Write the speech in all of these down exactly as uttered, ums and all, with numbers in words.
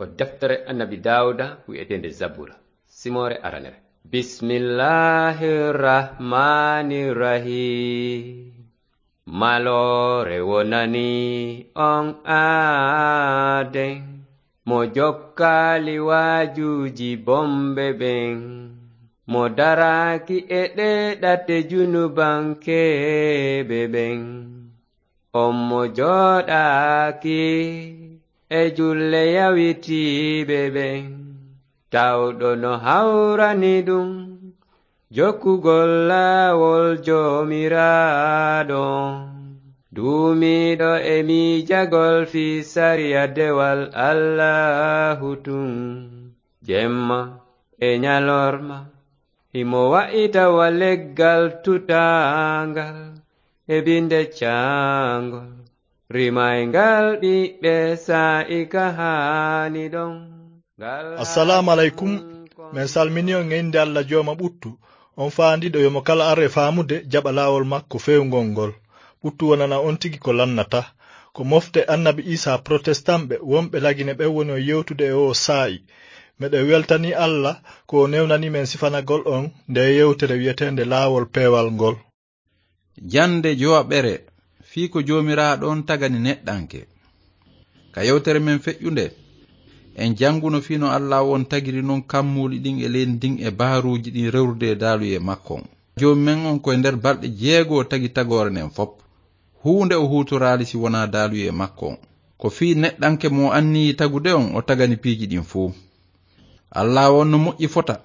Ko deftere Annabi Daawuda wi'eteende Zabura, simoore aranere. Bismillahir Rahmanir Rahim. Maloore wonani on aaden, mo jokkaali waajuuji bomɓe ɓen, mo daraaki e ɗee ɗate junubankeeɓe ɓen. On mo jooɗaaki e julle yawitiiɓe ɓen, tawɗo no hawrani ɗum jokkugol laawol Joomiraaɗo, duumiiɗo e miijagol fii sariya dewal Allaahu tun, jemma e ñalorma. Himo wa'ita wa leggal tutaangal e binde caangol, rimayngal ɓiɓɓe saa'i ka haani ɗon. Ngal Assalaamu aleykum. Men salmini on e innde Alla Jooma ɓuttu, on faandiiɗo yo mo kala ar e faamude jaɓa laawol makko feewngol ngol. Ɓuttu wonana on tigi ko lannata. Ko mofte Annabi Iisaa protestanɓe wonɓe Lagine ɓen woni on yewtude e oo saa'i. Meɗen weltanii Alla ko o newnanii men sifanagol on ndee yewtere wi'eteende Laawol Peewal ngol. Jannde jowaɓere fii ko Joomiraaɗo on tagani neɗɗanke. Ka yewtere men feƴƴunde, en jannguno fii no Allaahu on tagiri non kammuuli ɗin e leydi ndin e baharuuji ɗin rewrude e daaluyee makko on. Joomi men on ko e nder balɗe jeego o tagi tagoore nden fow. Huunde o huutoraali si wonaa daaluyee makko on. Ko fii neɗɗanke mo o anniyii tagude on o tagani piiji ɗin fow. Allaahu on no moƴƴi fota.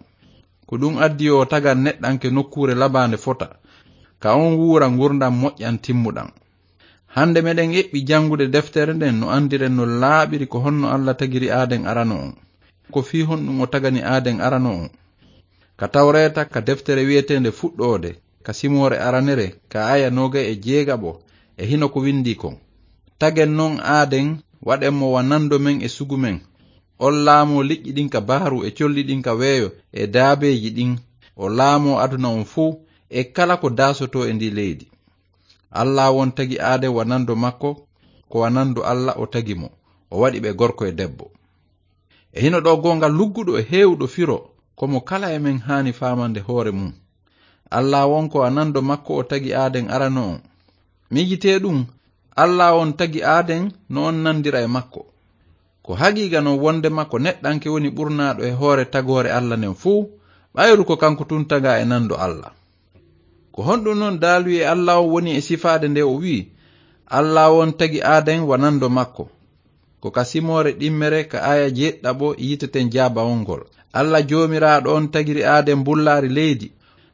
Ko ɗun addi yo o tagan neɗɗanke nokkuure labaande fota, ka on wuura ngurndan moƴƴan timmuɗan. Hande meɗen eɓɓi janngude deftere nden no anndiren no laaɓiri ko honno Alla tagiri aaden arano on. Ko fii honɗun o tagani aaden arano on. Ka Tawreeta, ka deftere wi'eteende Fuɗɗoode, ka simoore aranere, ka aaya noogay e jeegaɓo, e hino ko windii kon: Tagen non aaden, waɗen mo wa nando men e sugu men. On laamoo liƴƴi ɗin ka bahru e colli ɗin ka weeyo e daabeeji ɗin. O laamoo aduna on fow e kala ko daasotoo e ndii leydi. Allaahu on tagi aaden wa nando makko, ko wa nando Alla o tagi mo. O waɗi ɓe gorko e debbo. E hino ɗoo goonga lugguɗo e heewuɗo firo, ko mo kala e men haani faamande hoore mun. Allaahu on ko wa nando makko o tagi aaden arano on. Miijitee ɗun, Allaahu on tagi aaden no on nandira e makko. Ko haqiiqa non wondema ko neɗɗanke woni ɓurnaaɗo e hoore tagoore Alla nden fow, ɓayru ko kanko tun tagaa e nando Alla. Ko honɗun non daaluyee Allaahu on woni e sifaade nde o wi'i, Allaahu on tagi aaden wa nando makko? Ko ka simoore ɗimmere ka aaya jeeɗiɗaɓo yiiteten jaabawol ngol. Alla Joomiraaɗo on tagiri aaden mbullaari leydi,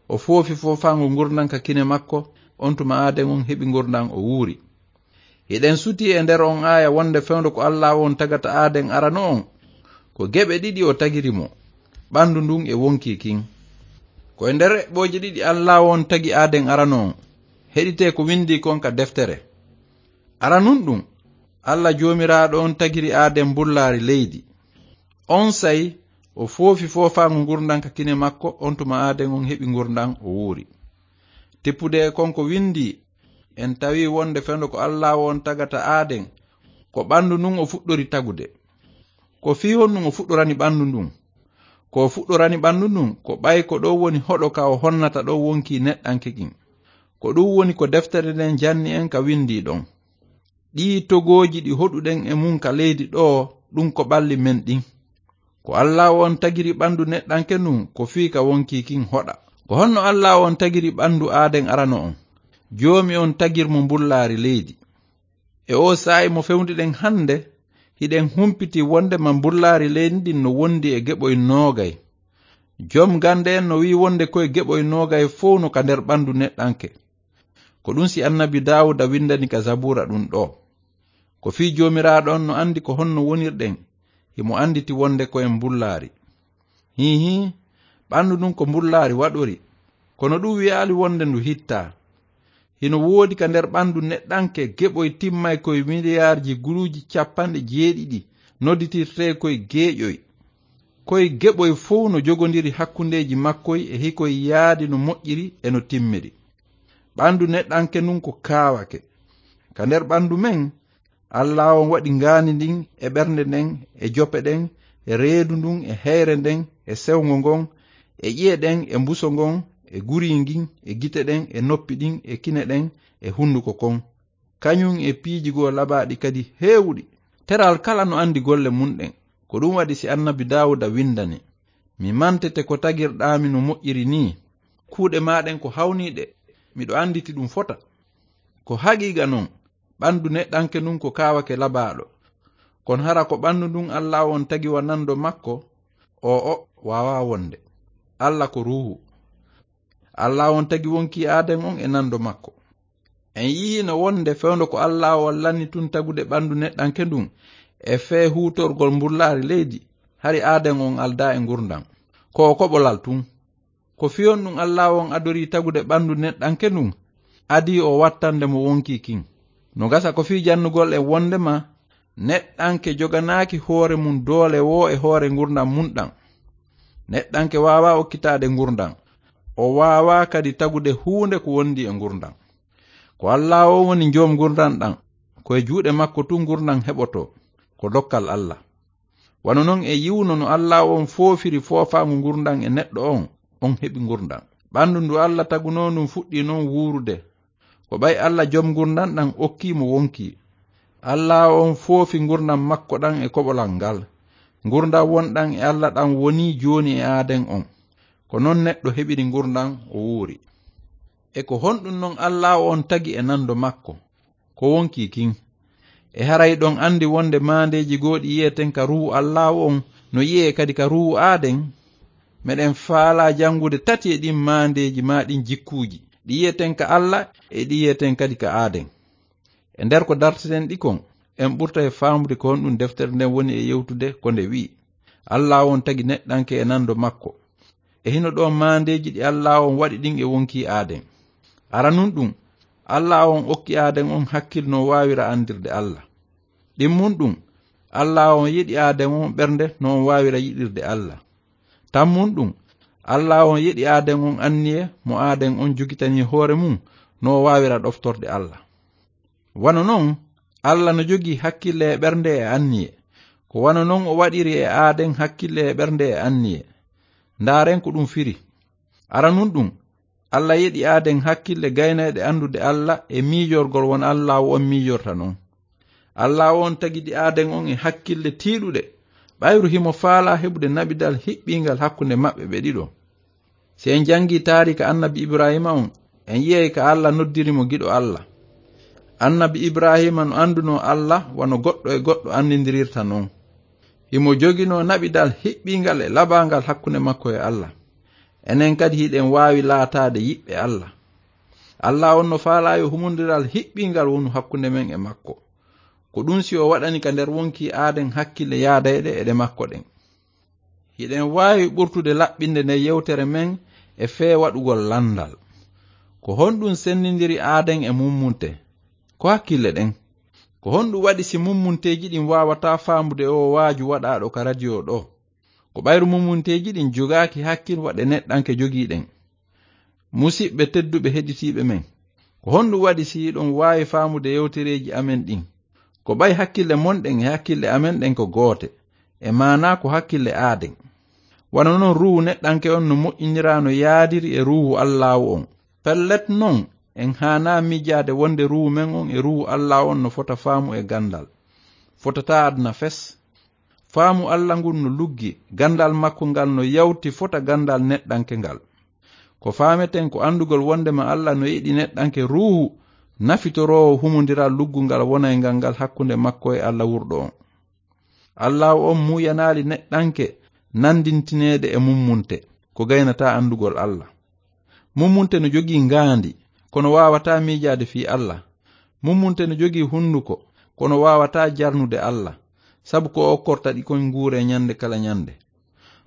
o foofi foofaango ngurndan ka kine makko, on tuma aaden on heɓi ngurndan o wuuri. Hiɗen sutii e nder on aaya wonde fewndo ko Allaahu on tagata aaden arano on, ko geɓe ɗiɗi o tagiri mo, ɓandu ndun e wonkii kin. Ko e nder eɓɓooje ɗiɗi Allaahu on tagi aaden arano on. Heɗitee ko windii kon ka deftere. Aranun ɗun, Alla Joomiraaɗo on tagiri aaden mbullaari leydi. Onsay o foofi foofaango ngurndan ka kine makko, on tuma aaden on heɓi ngurndan o wuuri. Tippude e kon ko windii, en tawii wonde fewndo ko Allaahu on tagata aaden, ko ɓandu ndun o fuɗɗori tagude. Ko fii honɗun o fuɗɗorani ɓandu ndun? Ko o fuɗɗorani ɓandu ndun, ko ɓay ko ɗoo woni hoɗo ka o honnata ɗon wonkii neɗɗanke kin. Ko ɗun woni ko deftere nden janni en ka windii ɗon. Ɗii togooji ɗi hoɗuɗen e mun ka leydi ɗoo, ɗun ko ɓalli men ɗin. Ko Allaahu on tagiri ɓandu neɗɗanke ndun, ko fii ka wonkii kin hoɗa. Ko honno Allaahu on tagiri ɓandu aaden arano on? Joomi on tagir mo mbullaari leydi. E oo saa'i mo fewndinɗen hande, hiɗen humpiti wondema mbullaari leydi ndin no wondi e geɓoy noogay. Jom gannde en no wi'i wonde koy geɓoy noogay fow no ka nder ɓandu neɗɗanke. Ko ɗun si Annabi Daawuda windani ka Zabuura ɗun ɗoo. Ko fii Joomiraaɗo on no andi ko honno wonirɗen, himo anditi wonde ko en mbullaari. Hiihii, ɓandu ndun ko mbullaari waɗori, kono ɗun wi'aali wonde ndu hittaa. Hino woodi ka nder ɓandu neɗɗanke geɓoy timmay koy miliyaarji guluuji capanɗe jeeɗiɗi, nodditirtee koy geeƴoy. Koy geɓoy fow no jogondiri hakkundeeji makkoy e hikoy yaadi no moƴƴiri e no timmiri. Ɓandu neɗɗanke ndun ko kaawake. Ka nder ɓandu men, Alla on waɗi ngaandi ndin e ɓernde nden e jope ɗen e reedu ndun e heyre nden e sewngo ngon e ƴi'e ɗen e mbuso ngon e guri ngin e gite ɗen e noppi ɗin e kine ɗen e hunduko kon, kañun e piiji goo labaaɗi kadi heewuɗi. Teral kala no andi golle mun ɗen. Ko ɗun waɗi si annabi Daawuda windani, "Mi mantete ko tagirɗaami no moƴƴiri nii. Kuuɗe maa ɗen ko hawniiɗe, miɗo anditi ɗun fota." Ko haqiiqa non, ɓandu neɗɗanke ndun ko kaawake labaaɗo. Kono hara ko ɓandu ndun Alla on tagi wa nando makko? O'o, waawaa wonde. Alla ko ruuhu. Alla on tagi wonkii Aaden on e nando makko. En yi'iino wonde fewndo ko Alla on lanni tun tagude ɓandu neɗɗanke ndun e fee huutorgol mbullaari leydi, hari Aaden on aldaa e ngurndan. Ko o koɓolal tun. Ko fii honɗun Alla on adorii tagude ɓandu neɗɗanke ndun? Adii o wattande mo wonkii kin. No gasa ko fii jannugol en wondema neɗɗanke joganaaki hoore mun doole woo e hoore ngurndan mun ɗan. Neɗɗanke waawaa okkitaade ngurndan. O waawaa kadi tagude huunde ko wondi e ngurndan. Ko Alla on woni joom ngurndan ɗan. Ko e juuɗe makko tun ngurndan heɓotoo. Ko dokkal Alla. Wano non e yi'uno no Alla on foofiri foofaango ngurndan e neɗɗo on, on heɓi ngurndan. Ɓandu ndu Alla tagunoo ndun fuɗɗii non wuurude. Ko ɓay Alla joom ngurndan ɗan okkii mo wonkii. Alla on foofi ngurndan makko ɗan e koɓolal ngal. Ngurndan wonɗan e Alla ɗan wonii jooni e Aaden on. Ko non neɗɗo heɓiri ngurndan o wuuri. E ko honɗun non Alla on tagi e nando makko? Ko wonkii kin. E haray ɗon andi wonde maandeeji goo ɗi yi'eten ka ruuhu Alla on no yi'ee kadi ka ruuhu Aaden? Meɗen faalaa janngude tati e ɗin maandeeji maa ɗin jikkuuji. Ɗi yi'eten ka Alla e ɗi yi'eten kadi ka Aaden. E nder ko darteten ɗi kon, en ɓurtay faamude ko honɗun deftere nden woni e yewtude ko nde wi'i, Alla on tagi neɗɗanke e nando makko. E hino ɗon maandeeji ɗi Alla on waɗi ɗin e wonkii Aaden. Aranun ɗun, Alla on okki Aaden on hakkil no waawira andirde Alla. Ɗimmun ɗun, Alla on yiɗi Aaden on ɓernde no on waawira yiɗirde Alla. Tammun ɗun, Alla on yiɗi Aaden on anniye mo Aaden on jogitanii hoore mun no o waawira ɗoftorde Alla. Wano non, Alla no jogii hakkille e ɓernde e anniye. Ko wano non o waɗiri e Aaden hakkille e ɓernde e anniye. Ndaaren ko ɗun firi. Aranun ɗun, Alla yiɗi Aaden hakkille gaynayɗe andude Alla e miijorgol won Alla on miijorta non. Alla on tagidi Aaden on e hakkille tiiɗuɗe, ɓayru himo faalaa heɓude naɓidal hiɓɓiingal hakkunde maɓɓe ɓe ɗiɗo. Si en jangii taariika annabi Ibraahiima on, en yi'ay ka Alla noddiri mo giɗo Alla. Annabi Ibraahiima no andunoo Alla wano goɗɗo e goɗɗo andindirirta non. Himo joginoo naɓidal hiɓɓiingal e labaangal hakkunde makko e Alla. Enen kadi hiɗen waawi laataade yiɓɓe Alla. Alla on no faalaa yo humondiral hiɓɓiingal wonu hakkunde men e makko. Ko ɗun si o waɗani ka nder wonkii Aaden hakkille yaadayɗe e ɗe makko ɗen. Hiɗen waawi ɓurtude laɓɓinde nde yewtere men e fee waɗugol landal. Ko honɗun sendindiri Aaden e mummunte? Ko hakkille ɗen. Ko honɗun waɗi si mummunteeji ɗin waawataa faamude oo waaju waɗaaɗo ka radio ɗoo? Ko ɓayru mummunteeji ɗin jogaaki hakkil waɗe neɗɗanke jogii ɗen. Musiɓɓe tedduɓe heɗitiiɓe men, ko honɗun waɗi si hiɗon waawi faamude yewtereeji amen ɗin? Ko ɓay hakkille mon ɗen e hakkille amen ɗen ko goote, e maanaa ko hakkille Aaden. Wano non ruuhu neɗɗanke on no moƴƴiniraa no yaadiri e ruuhu Allaahu on. Pellet non, en haanaa miijaade wonde ruuhu men on e ruuhu Allaahu on no fota faamu e gandal. Fotataa aduna fes. Faamu Alla ngun no luggi, gandal makko ngal no yawti fota gandal neɗɗanke ngal. Ko faameten ko andugol wondema Alla no yiɗi neɗɗanke ruuhu nafitoroowo humondiral luggungal wonayngal ngal hakkunde makko e Alla wurɗo on. Alla on muuyanaali neɗɗanke nandintineede e mummunte, ko gaynataa andugol Alla. Mummunte no jogii ngaandi, kono waawataa miijaade fii Alla. Mummunte no jogii hunduko, kono waawataa jarnude Alla, sabu ko o okkorta ɗi kon nguuree ñande kala ñande.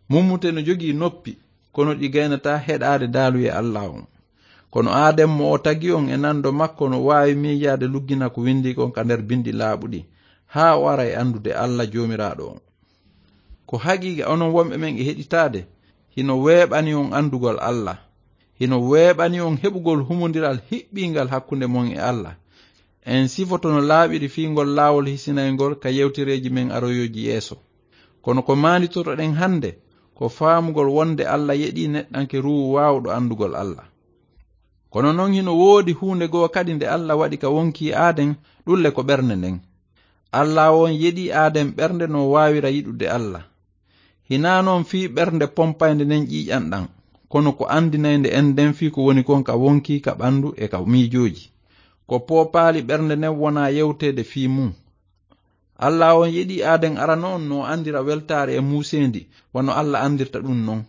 Mummunte no jogii noppi, kono ɗi gaynataa heɗaade daaluye Alla on. Kono Aaden mo o tagi on e nando makko no waawi miijaade luggina ko windii kon ka nder bindi laaɓuɗi, haa o ara e andude Alla Joomiraaɗo on. Ko haqiiqa onon wonɓe men e heɗitaade, hino weeɓani on andugol Alla. Hino weeɓani on heɓugol humondiral hiɓɓiingal hakkunde mon e Alla. En sifoto no laaɓiri fii ngol laawol hisinayngol ka yewtereeji men aroyooji yeeso. Kono ko maanditotoɗen hannde, ko faamugol wonde Alla yeɗii neɗɗanke ruuhu waawuɗo anndugol Alla. Kono non hino woodi huunde goo kadi nde Alla waɗi ka wonkii Aaden, ɗun le ko ɓernde nden. Alla on yeɗii Aaden ɓernde no waawira yiɗude Alla. Hinaa non fii ɓernde pompaynde nden ƴiiƴan ɗan, kono ko anndinaynde en nden fii ko woni kon ka wonkii, ka ɓandu e ka miijooji. Ko poopaali ɓernde nden wonaa yewteede fii mun. Alla on yeɗii Aaden arano on no anndira weltaare e muuseendi, wano Alla anndirta ɗun non.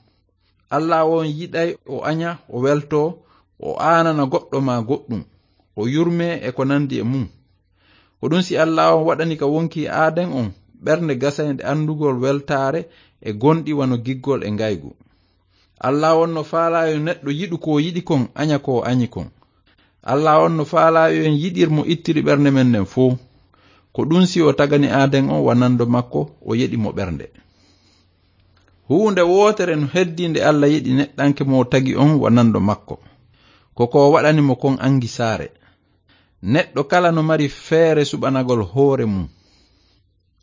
Alla on yiɗay o aña, o weltoo, o aanana goɗɗo maa goɗɗun, o yurmee e ko nanndi e mun. Ko ɗun si Alla on waɗani ka wonkii Aaden on ɓernde gasaynde anndugol weltaare e gonɗi wano giggol e ngaygu. Alla on no faalaa yo neɗɗo yiɗu ko o yiɗi kon, aña ko o añi kon. Alla on no faalaa yo en yiɗir mo ittiri ɓernde men nden fow. Ko ɗun si o tagani Aaden on wa nanndo makko, o yeɗi mo ɓernde. Huunde wootere no heddii nde Alla yeɗi neɗɗanke mo o tagi on wa nanndo makko. Ko ko waɗani mo kon angisaare. Neɗɗo kala no mari feere suɓanagol hoore mun.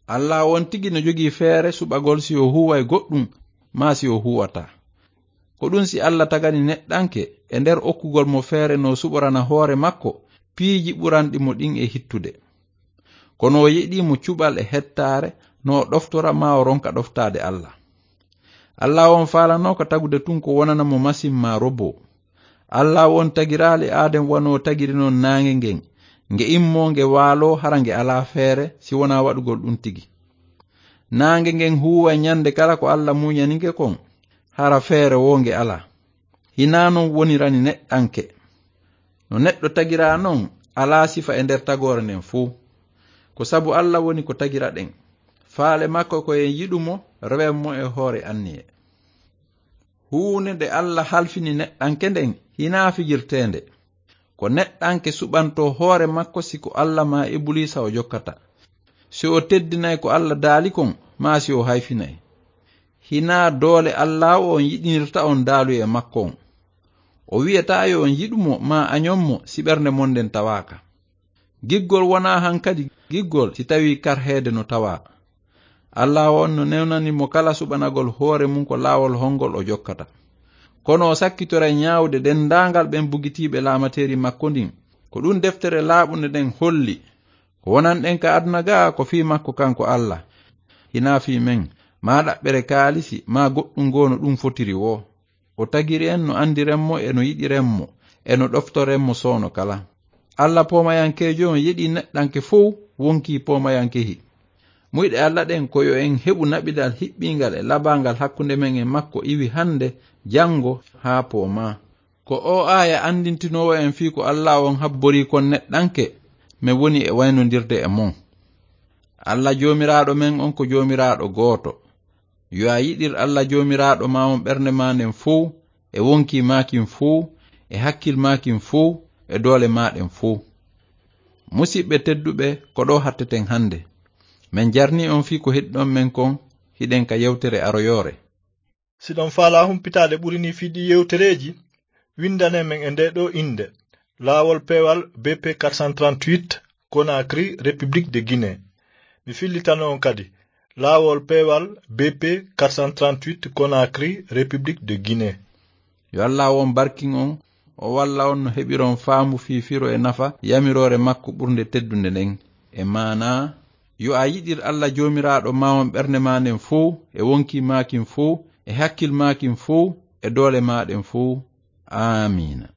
Alla on tigi no jogii feere suɓagol si o huuway goɗɗun, maa si o huuwataa. Ko ɗun si Alla tagani neɗɗanke e nder okkugol mo feere no suɓorana hoore makko piiji ɓuranɗi mo ɗin e hittude. Kono o yeɗii mo cuɓal e hettaare, no o ɗoftora maa o ronka ɗoftaade Alla. Alla on faalanooka tagude tun ko wonana mo masin maa roboo. Alla on tagiraali Aaden wano tagiri non naange ngen, nge immoo nge waaloo hara nge alaa feere si wonaa waɗugol ɗun tigi. Naange ngen huuway ñande kala ko Alla muñani nge kon, hara feere woo nge alaa. Hinaa non wonirani neɗɗanke. No neɗɗo tagiraa non, alaa sifa e nder tagoore nden fow. Ko sabu Alla woni ko tagira ɗen. Faale makko ko en yiɗu mo, rewen mo e hoore anniye. Huunde nde Alla halfini neɗɗanke nden hinaa fijirteende. Ko neɗɗanke suɓantoo hoore makko si ko Alla maa Ibuliisa o jokkata. Si o teddinay ko Alla daali kon, maa si o hayfinay. Hinaa doole Alla on yiɗinirta on daaluye makko on. O wi'ataa yo on yiɗu mo maa añon mo si ɓernde mon nden tawaaka. Giggol wonaa hankadi giggol si tawii karheede no tawaa. Alla on no newnani mo kala suɓanagol hoore mun ko laawol hongol o jokkata. Kono o sakkitoray ñaawde denndaangal ɓen bugitiiɓe laamateeri makko ndin. Ko ɗun deftere laaɓunde nden holli. Ko wonanɗen ka aduna gaa ko fii makko kanko Alla. Hinaa fii men, maa ɗaɓɓere kaalisi, maa goɗɗun goo no ɗun fotiri woo. O tagiri en no anndiren mo e no yiɗiren mo, e no ɗoftoren mo soono kala. Alla poomayankeejo on yeɗii neɗɗanke fow wonkii poomayankehi. Muyɗe Alla ɗen ko yo en heɓu naɓidal hiɓɓiingal e labaangal hakkunde men e makko iwi hannde, janngo, haa poomaa. Ko oo aaya anndintinoowo en fii ko Alla on habborii kon neɗɗanke, men woni e waynondirde e mon. Alla Joomiraaɗo men on ko Joomiraaɗo gooto. Yo a yiɗir Alla Joomiraaɗo maa on ɓernde maa nden fow, e wonkii maa kin fow, e hakkil maa kin fow, e doole maa ɗen fow. Musiɓɓe tedduɓe, ko ɗoo hatteten hannde. Men jarnii on fii ko heɗi ɗon men kon, hiɗen ka yewtere aroyoore. Si ɗon faalaa humpitaade ɓuri nii fii ɗii yewtereeji, winndane men e ndee ɗoo innde, Laawol Peewal B P quatre cent trente-huit, Conakry, République de Guinée. Mi fillitano on kadi, Laawol Peewal B P quatre cent trente-huit, Conakry, République de Guinée. Yo Alla on barkin on, o walla on no heɓiron faamu fii firo e nafa yamiroore makko ɓurnde teddunde nden. E maanaa, yo a yiɗir Alla Joomiraaɗo maa on ɓernde maa nden fow, e wonkii maa kin fow, e hakkil maa kin fow, e doole maa ɗen fow. Aamiina.